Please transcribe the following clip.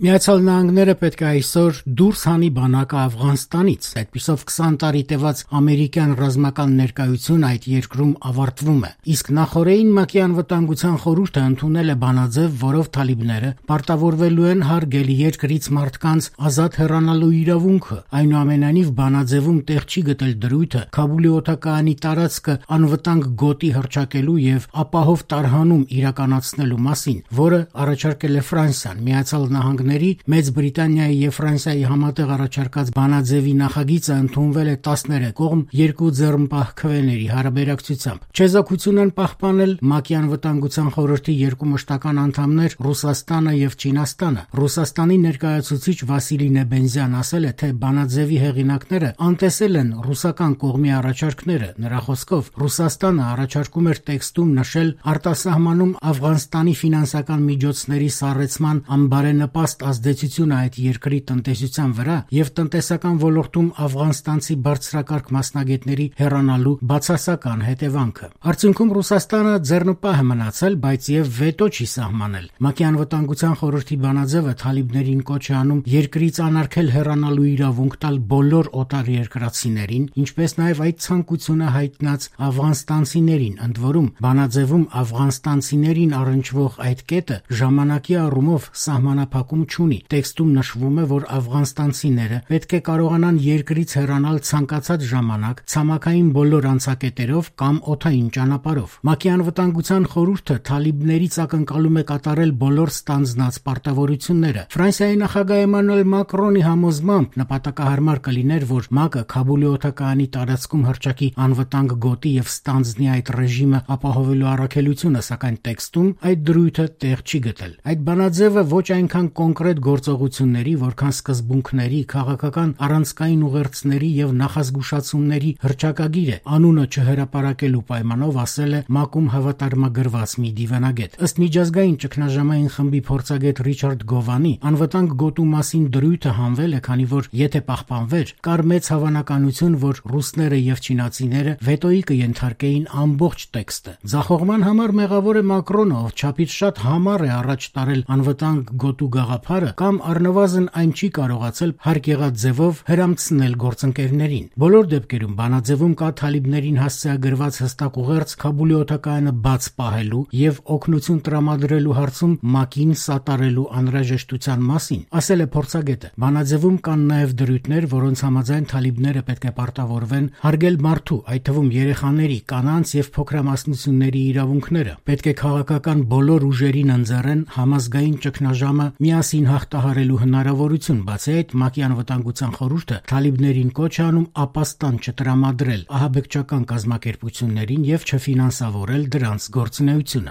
Միացյալ Նահանգները պետք է այսօր դուրս հանի բանակը Աֆղանստանից, այդպիսով 20 տարի տևած ամերիկյան ռազմական ներկայությունը այդ երկրում ավարտվում է, իսկ նախօրեին ՄԱԿ-ի անվտանգության խորհուրդը ընդունել է բանաձև, որով թալիբները պարտավորվելու են հարգել երկրից մարդկանց ազատ հեռանալու իրավունքը, այնուամենայնիվ բանաձևում տեղ չի գտել դրույթը Քաբուլի օդակայանի տարածքը անվտանգ գոտի հռչակելու եւ ապահով տարհանում իրականացնելու մասին, որը առաջարկել է Ֆրանսիան, Միացյալ Նահանգները Մեծ Բրիտանիայի եւ Ֆրանսիայի համատեղ առաջարկած բանաձևի նախագիծը ընդունվել է 13 կողմ երկու ձեռնպահ քվեների հարաբերակցությամբ։ Չեզոքություն են պահպանել ՄԱԿ-ի անվտանգության խորհրդի երկու մշտական անդամներ Ռուսաստանը եւ Չինաստանը։ Ռուսաստանի ներկայացուցիչ Վասիլի Նեբենզյան ասել է, թե բանաձևի հեղինակները անտեսել են ռուսական կողմի առաջարկները։ Նրա խոսքով Ռուսաստանը առաջարկում էր տեքստում նշել արտասահմանում Աֆղանստանի ֆինանսական միջոցների սառեցման անբարենպաստ ազդեցությունը այդ երկրի տնտեսության վրա եւ տնտեսական ոլորտում աֆղանստանցի բարձրակարգ մասնագետների հեռանալու բացասական հետևանքը։ Արդյունքում Ռուսաստանը ձեռնպահ է մնացել, բայց եւ վետո չի սահմանել։ ՄԱԿ-ի անվտանգության խորհրդի բանաձևը թալիբներին կոչ է անում երկրից անարգել հեռանալու իրավունք տալ բոլոր օտարերկրացիներին, ինչպես նաեւ այդ ցանկությունը հայտնած աֆղանստանցիներին, ընդ որում բանաձևում աֆղանստանցիներին առնչվող այդ կետը ժամանակի առումով սահմանափակում չունի։ Տեքստում նշվում է, որ աֆղանստանցիները պետք է կարողանան երկրից հեռանալ ցանկացած ժամանակ ցամաքային բոլոր անցակետերով կամ օդային ճանապարհով։ ՄԱԿ-ի անվտանգության խորհուրդը թալիբներից ակնկալում է կատարել բոլոր ստանձնած պարտավորությունները։ Ֆրանսիայի նախագահ Էմանուել Մակրոնի համոզմամբ նպատակահարմար կլիներ, որ ՄԱԿ-ը Քաբուլի օդակայանի տարածքում հռչակի անվտանգ գոտի եւ ստանձնի այդ ռեժիմը ապահովելու առաքելությունը, սակայն տեքստում այդ դրույթը տեղ չի գտել։ Այդ բանաձևը ոչ այնքան կոնկրետ գործողությունների, որքան սկզբունքների, քաղաքական առանցքային ուղերձների եւ նախազգուշացումների հռչակագիր է, անունը չհրապարակելու պայմանով ասել է ՄԱԿ-ում հավատարմագրված մի դիվանագետ։ Ըստ միջազգային ճգնաժամային խմբի փորձագետ Ռիչարդ Գովանի, անվտանգ գոտու մասին դրույթը հանվել է, քանի որ եթե պահպանվեր, կար մեծ հավանականություն, որ ռուսները եւ չինացիները վետոյի կենթարկեին ամբողջ տեքստը։ Ձախողման համար մեղավոր է Մակրոնը, ով չափից շատ համառ է առաջ տարել անվտանգ գոտու գաղափարը կամ առնվազն այն չի կարողացել հարկ եղած ձևով հրամցնել գործընկերներին։ Բոլոր դեպքերում բանաձևում կա թալիբներին հասցեագրված հստակ ուղերձ Քաբուլի օդակայանը բաց պահելու եւ օգնություն տրամադրելու հարցում ՄԱԿ-ին սատարելու անհրաժեշտության մասին, ասել է փորձագետը։ Բանաձևում կան նաեւ դրույթներ, որոնց համաձայն թալիբները պետք է պարտավորվեն հարգել մարդու, այդ թվում երեխաների, կանանց եւ փոքրամասնությունների իրավունքները։ Պետք է քաղաքական բոլոր ուժերին ընձեռեն համազգային ճգնաժամը միասին հաղթահարելու հնարավորություն, բացի այդ ՄԱԿ-ի անվտանգության խորհուրդը թալիբներին կոչ է անում ապաստան չտրամադրել ահաբեկչական կազմակերպություններին եւ չֆինանսավորել դրանց գործունեությունը։